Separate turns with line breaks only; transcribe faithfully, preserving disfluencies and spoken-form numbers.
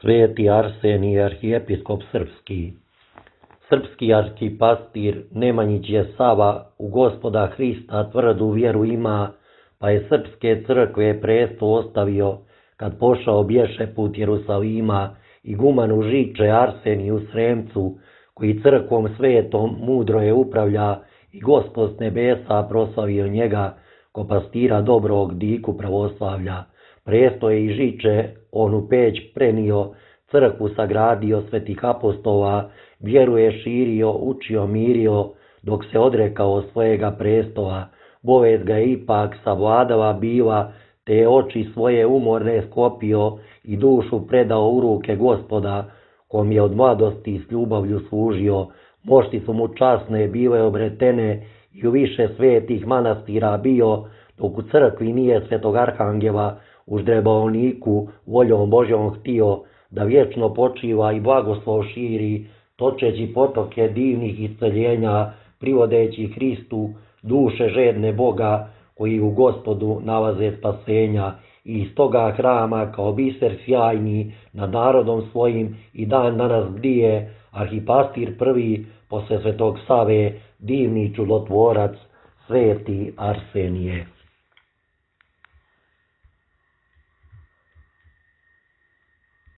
Sveti Arsenije, arhijepiskop srpski. Srpski arhipastir Nemanjić je Sava u Gospoda Hrista tvrdu vjeru ima, pa je srpske crkve presto ostavio, kad pošao bješe put Jerusalima, igumanu Žiče Arseniju Sremcu, koji crkvom svetom mudro je upravlja, i Gospod s nebesa proslavio njega, ko pastira dobrog diku pravoslavlja. Presto je i Žiče on u Peć prenio, crkvu sagradio svetih apostola, vjeru je širio, učio, mirio, dok se odrekao svojega prestola. Bolest ga je ipak savladala bila, te je oči svoje umorne sklopio i dušu predao u ruke Gospoda, kom je od mladosti s ljubavlju služio. Mošti su mu časne bile obretene i u više svetih manastira bio, dok u crkvi nije svetog arhangela u ždrebovniku voljom Božjom htio, da vječno počiva i blagoslov širi, točeći potoke divnih isceljenja, privodeći Hristu duše žedne Boga, koji u Gospodu nalaze spasenja. I iz toga hrama kao biser sjajni nad narodom svojim i dan danas bdije arhipastir prvi posle svetog Save, divni čudotvorac Sveti Arsenije.